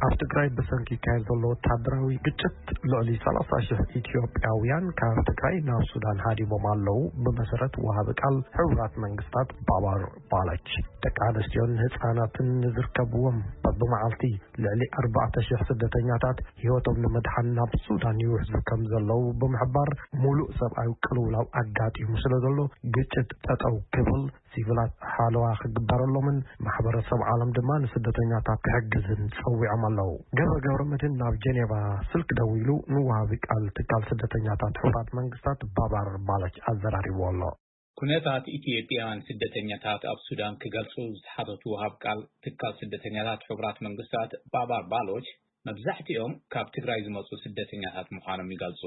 ኣብ ትግራይ ብሰንኪ ይካየድ ዘሎ ወታደራዊ ግጭት ልዕሊ ሰላሳ ሺሕ ኢትዮጵያውያን ካብ ትግራይ ናብ ሱዳን ሃዲሞም ኣለዉ። ብመሰረት ወሃቢ ቃል ሕቡራት መንግስታት ባባር ባላች፣ ደቂ ኣንስትዮን ህፃናትን ዝርከብዎም፣ በብመዓልቲ ልዕሊ ኣርባዕተ ሺሕ ስደተኛታት ህይወቶም ንምድሓን ናብ ሱዳን ይውሕዙ ከም ዘለዉ ብምሕባር፣ ሙሉእ ሰብኣዊ ቅልውላው ኣጋጢሙ ስለ ዘሎ ግጭት ጠጠው ክብል፣ ሲቪላት ሓለዋ ክግበረሎምን ማሕበረሰብ ዓለም ድማ ንስደተኛታት ክሕግዝን ጸዊዖም ኣለዉ። ገብረ ገብረ መድህን ናብ ጀኔቫ ስልክ ደዊሉ ንወሃቢ ቃል ትካል ስደተኛታት ሕቡራት መንግስታት ባባር ባላች ኣዘራሪቡ ኣሎ። ኩነታት ኢትዮጵያውያን ስደተኛታት ኣብ ሱዳን ክገልጹ ዝተሓተቱ ወሃብ ቃል ትካል ስደተኛታት ሕቡራት መንግስታት ባባር ባሎች፣ መብዛሕትኦም ካብ ትግራይ ዝመጹ ስደተኛታት ምዃኖም ይገልጹ።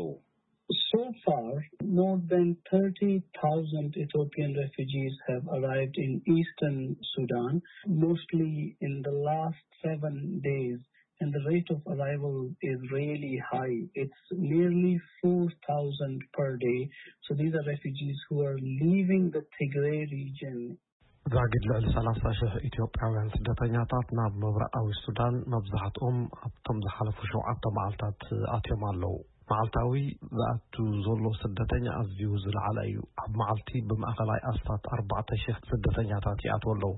So far, more than thirty thousand Ethiopian refugees have arrived in eastern Sudan, mostly in the last seven days. And the rate of arrival is really high. It's nearly four thousand per day. So these are refugees who are leaving the Tigray region. ዛጊድ ልዕሊ ሰላሳ ሺሕ ኢትዮጵያውያን ስደተኛታት ናብ ምብራቓዊ ሱዳን፣ መብዛሕትኦም ኣብቶም ዝሓለፉ ሸውዓተ መዓልታት ኣትዮም ኣለዉ። መዓልታዊ ዝኣቱ ዘሎ ስደተኛ ኣዝዩ ዝለዓለ እዩ። ኣብ መዓልቲ ብማእኸላይ ኣስታት ኣርባዕተ ሺሕ ስደተኛታት ይኣትዉ ኣለዉ።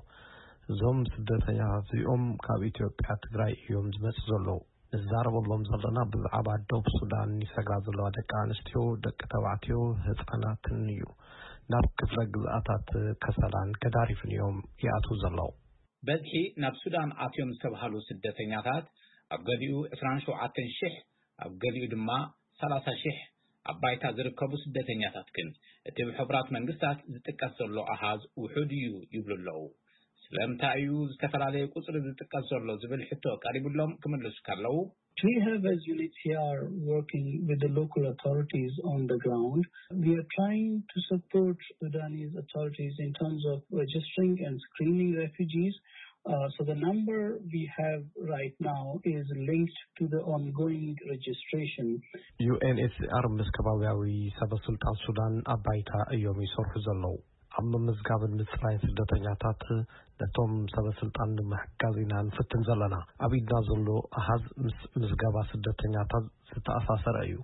እዞም ስደተኛታት እዚኦም ካብ ኢትዮጵያ ትግራይ እዮም ዝመጹ ዘለዉ። ንዛረበሎም ዘለና ብዛዕባ ደቡብ ሱዳን ይሰግራ ዘለዋ ደቂ ኣንስትዮ፣ ደቂ ተባዕትዮ፣ ህጻናትን እዩ። ናብ ክፍለ ግዝኣታት ከሰላን ገዳሪፍን እዮም ይኣትዉ ዘለዉ። በዝሒ ናብ ሱዳን ኣትዮም ዝተባህሉ ስደተኛታት ኣብ ገሊኡ ዕስራን ሸውዓተን ሺሕ፣ ኣብ ገሊኡ ድማ ሰላሳ ሺሕ ኣብ ባይታ ዝርከቡ ስደተኛታት ግን እቲ ብሕቡራት መንግስታት ዝጥቀስ ዘሎ ኣሃዝ ውሑድ እዩ ይብሉ ኣለዉ። ስለምንታይ እዩ ዝተፈላለየ ቁጽሪ ዝጥቀስ ዘሎ ዝብል ሕቶ ቀሪቡሎም ክምልሱ ከለዉ፣ We have, as UNHCR, working with the local authorities on the ground. We are trying to support Sudanese authorities in terms of registering and screening refugees. Uh, so the number we have right now is linked to the ongoing registration. ዩ ኤን ኤች ሲ ኣር ምስ ከባቢያዊ ሰበ ስልጣን ሱዳን ኣብ ባይታ እዮም ይሰርሑ ዘለዉ። ኣብ ምምዝጋብን ምጽራይን ስደተኛታት ነቶም ሰበ ስልጣን ንምሕጋዝ ኢና ንፍትን ዘለና። ኣብ ኢድና ዘሎ ኣሃዝ ምስ ምዝገባ ስደተኛታት ዝተኣሳሰረ እዩ።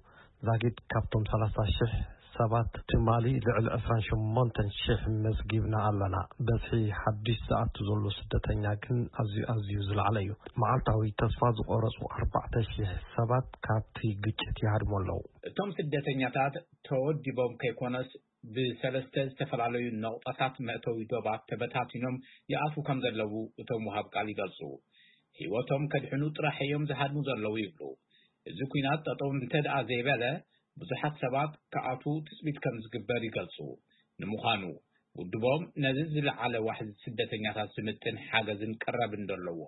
ዛጊድ ካብቶም ሰላሳ ሺሕ ሰባት ትማሊ ልዕሊ ዕስራን ሸሞንተን ሺሕ መዝጊብና ኣለና። በዝሒ ሓድሽ ዝኣቱ ዘሎ ስደተኛ ግን ኣዝዩ ኣዝዩ ዝለዓለ እዩ። መዓልታዊ ተስፋ ዝቆረጹ ኣርባዕተ ሺሕ ሰባት ካብቲ ግጭት ይሃድሙ ኣለዉ። እቶም ስደተኛታት ተወዲቦም ከይኮነስ ብሰለስተ ዝተፈላለዩ ነቑጣታት መእተዊ ዶባት ተበታቲኖም ይኣትዉ ከም ዘለዉ እቶም ወሃብ ቃል ይገልጹ። ህይወቶም ከድሕኑ ጥራሕ እዮም ዝሃድሙ ዘለዉ ይብሉ። እዚ ኲናት ጠጠው እንተ ደኣ ዘይበለ ብዙሓት ሰባት ክኣትዉ ትጽቢት ከም ዝግበር ይገልጹ። ንምዃኑ ውድቦም ነዚ ዝለዓለ ዋሕዚ ስደተኛታት ዝምጥን ሓገዝን ቀረብ እንደለዎ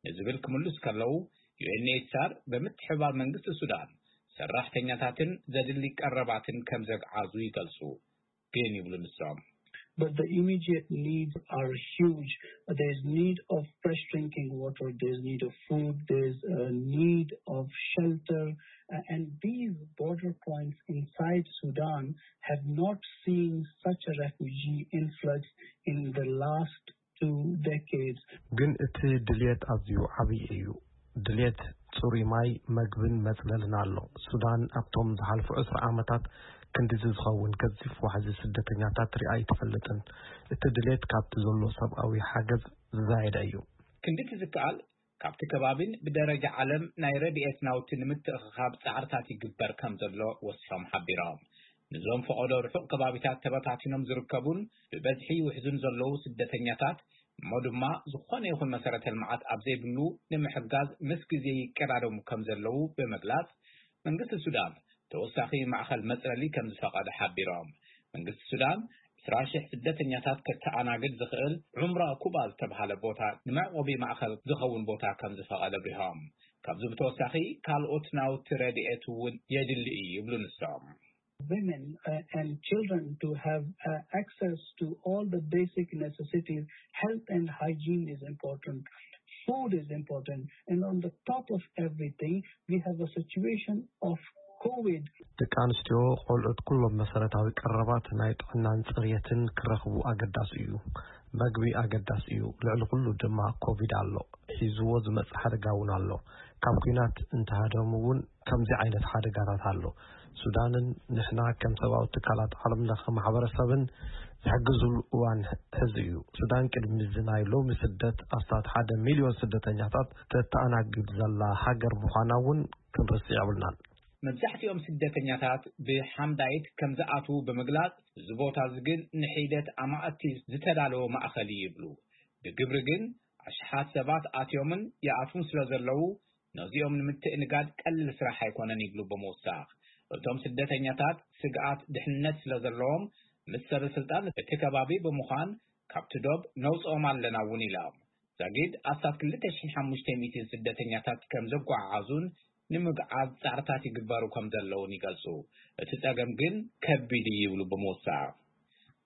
ንዝብል ክምልሱ ከለዉ፣ ዩ ኤን ኤች ሲ ኣር ብምትሕብባር መንግስቲ ሱዳን ሰራሕተኛታትን ዘድሊ ቀረባትን ከም ዘግዓዙ ይገልጹ። ግን ይብሉ ንሶም። But the immediate needs are huge. There's need of fresh drinking water, there's need of food, there's a need of shelter. Uh, and these border points inside Sudan have not seen such a refugee influx in the last two decades. ግን እቲ ድልየት ኣዝዩ ዓብዪ እዩ። ድልየት ጽሩይ ማይ፣ መግብን መጽለልን ኣሎ። ሱዳን ኣብቶም ዝሓልፉ ዕስራ ዓመታት ክንድዚ ዝኸውን ገዚፍ ዋሕዚ ስደተኛታት ሪኣ ኣይትፈልጥን። እቲ ድልየት ካብቲ ዘሎ ሰብኣዊ ሓገዝ ዝዛየደ እዩ። ክንድቲ ዝከኣል ካብቲ ከባቢን ብደረጃ ዓለም ናይ ረድኤት ናውቲ ንምትእኽኻብ ጻዕርታት ይግበር ከም ዘሎ ወሲኾም ሓቢሮም። ንዞም ፈቐዶ ርሑቕ ከባቢታት ተበታቲኖም ዝርከቡን ብበዝሒ ይውሕዙን ዘለዉ ስደተኛታት እሞ ድማ ዝኾነ ይኹን መሰረተ ልምዓት ኣብ ዘይብሉ ንምሕጋዝ ምስ ግዜ ይቀዳደሙ ከም ዘለዉ ብምግላጽ፣ መንግስቲ ሱዳን ተወሳኺ ማእኸል መጽለሊ ከም ዝፈቐደ ሓቢሮም። መንግስቲ ሱዳን ዕስራ ሺሕ ስደተኛታት ከተኣናግድ ዝኽእል ዑምራ ኩባ ዝተብሃለ ቦታ ንመዕቆቢ ማእኸል ዝኸውን ቦታ ከም ዝፈቐደ ኣብሪሆም። ካብዚ ብተወሳኺ ካልኦት ናውቲ ረድኤት እውን የድሊ እዩ ይብሉ ንሶም። Women uh, and children to have uh, access to all the basic necessities. Health and hygiene is important. Food is important. And on the top of everything, we have a situation of COVID. ደቂ ኣንስትዮ፣ ቆልዑት፣ ኩሎም መሰረታዊ ቀረባት ናይ ጥዕናን ጽርየትን ክረኽቡ ኣገዳሲ እዩ። መግቢ ኣገዳሲ እዩ። ልዕሊ ኩሉ ድማ ኮቪድ ኣሎ። ሒዝዎ ዝመጽእ ሓደጋ እውን ኣሎ። ካብ ኲናት እንተሃደሙ እውን ከምዚ ዓይነት ሓደጋታት ኣሎ። ሱዳንን ንሕና ከም ሰብኣዊ ትካላት ዓለም ለኸ ማሕበረሰብን ዝሕግዙሉ እዋን ሕዚ እዩ። ሱዳን ቅድሚ እዚ ናይ ሎሚ ስደት ኣስታት ሓደ ሚልዮን ስደተኛታት ተተኣናግድ ዘላ ሃገር ምዃና እውን ክንርስዕ የብልናን። መብዛሕትኦም ስደተኛታት ብሓምዳይት ከም ዝኣትዉ ብምግላጽ፣ እዚ ቦታ እዚ ግን ንሒደት ኣማእቲ ዝተዳለወ ማእኸል እዩ ይብሉ። ብግብሪ ግን ኣሽሓት ሰባት ኣትዮምን ይኣትዉን ስለ ዘለዉ፣ ነዚኦም ንምትእንጋድ ቀሊል ስራሕ ኣይኮነን ይብሉ ብምውሳኽ። እቶም ስደተኛታት ስግኣት ድሕንነት ስለ ዘለዎም፣ ምስ ሰበ ስልጣን እቲ ከባቢ ብምዃን ካብቲ ዶብ ነውፅኦም ኣለና እውን ኢሎም። ዛጊድ ኣስታት ክልተ ሽሕን ሓሙሽተ ሚእትን ስደተኛታት ከም ዘጓዓዓዙን ንምግዓዝ ጻዕርታት ይግበሩ ከም ዘለውን ይገልጹ። እቲ ጸገም ግን ከቢድ እዩ ይብሉ ብምውሳኽ።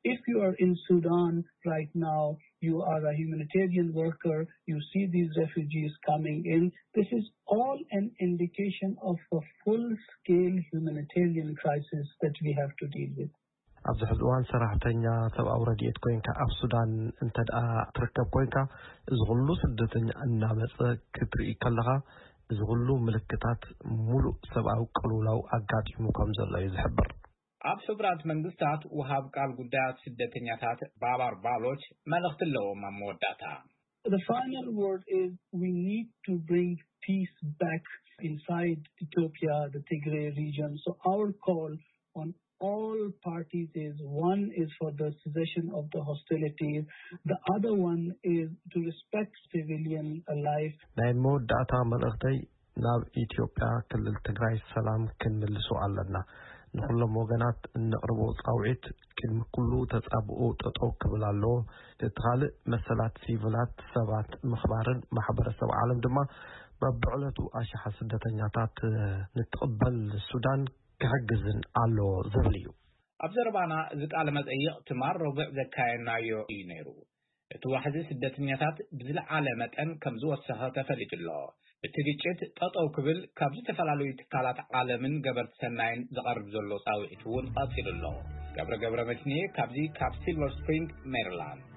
If you are in Sudan right now, you are a humanitarian worker, you see these refugees coming in. This is all an indication of a full scale humanitarian crisis that we have to deal with. ኣብዚ ሕዚ እዋን ሰራሕተኛ ሰብኣዊ ረድኤት ኮይንካ ኣብ ሱዳን እንተ ደኣ ትርከብ ኮይንካ፣ እዚ ኩሉ ስደተኛ እናመጸ ክትርኢ ከለኻ፣ እዚ ኩሉ ምልክታት ሙሉእ ሰብኣዊ ቅልውላው ኣጋጢሙ ከም ዘሎ እዩ ዝሕብር። ኣብ ሕቡራት መንግስታት ወሃብ ቃል ጉዳያት ስደተኛታት ባባር ባሎች መልእኽቲ ኣለዎም ኣብ መወዳእታ። The final word is we need to bring peace back inside Ethiopia, the Tigray region. So our call on all parties is, one is for the cessation of the hostilities, the other one is to respect civilian life. ናይ መወዳእታ መልእኽተይ ናብ ኢትዮጵያ ክልል ትግራይ ሰላም ክንምልሶ ኣለና። ንኹሎም ወገናት እነቕርቦ ጻውዒት ቅድሚ ኩሉ ተጻብኦ ጠጠው ክብል ኣለዎ። እቲ ካልእ መሰላት ሲቪላት ሰባት ምኽባርን ማሕበረሰብ ዓለም ድማ በብዕለቱ ኣሽሓት ስደተኛታት ንትቕበል ሱዳን ክሕግዝን ኣለዎ ዝብል እዩ። ኣብ ዘረባና እዚ ቃለ መጠይቕ ትማል ረቡዕ ዘካየድናዮ እዩ ነይሩ። እቲ ዋሕዚ ስደተኛታት ብዝለዓለ መጠን ከም ዝወሰኸ ተፈሊጡ ኣሎ። እቲ ግጭት ጠጠው ክብል ካብ ዝተፈላለዩ ትካላት ዓለምን ገበርቲ ሰናይን ዝቐርብ ዘሎ ጻውዒት እውን ቀጺሉ ኣሎ። ገብረ ገብረ መድህንየ ካብዚ ካብ ሲልቨር ስፕሪንግ ሜሪላንድ።